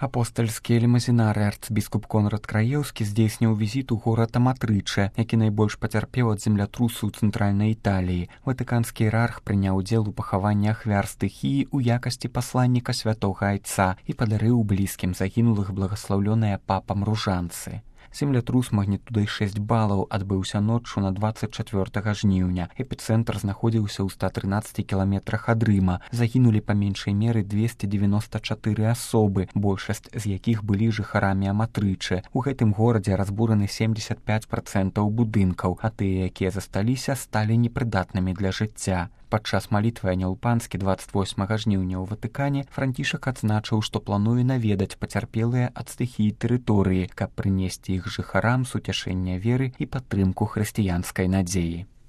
Апостальскі лімазінары арцбіскуп Конрад Краеўскі здзейсніў візіт у горад Аматрыча, які найбольш пацярпеў ад землятрусу ў цэнтральнай Італіі. Ватыканскі іерарх прыняў удзел у пахаванні ахвяр стыхіі ў якасці пасланніка святога айца і падарыў блізкім загінулых благаслаўлёныя папам ружанцы. Землятрус магнітудай 6 балаў адбыўся ноччу на 24 жніўня. Эпіцэнтр знаходзіўся ў 113 кіламетрах ад Рыма. Загінулі па меншай меры 294 асобы, большасць з якіх былі жыхарамі Аматрыча. У гэтым горадзе разбураны 75% будынкаў, а тыя, якія засталіся, сталі непрыдатнымі для жыцця. Падчас малітвы Анёл-Панскі 28 жніўня ў Ватыкане Францішак адзначыў, што плануе наведаць пацярпелыя ад стыхіі тэрыторыі, каб прынесці іх жыхарам суцяшэнне веры і падтрымку хрысціянскай надзеі.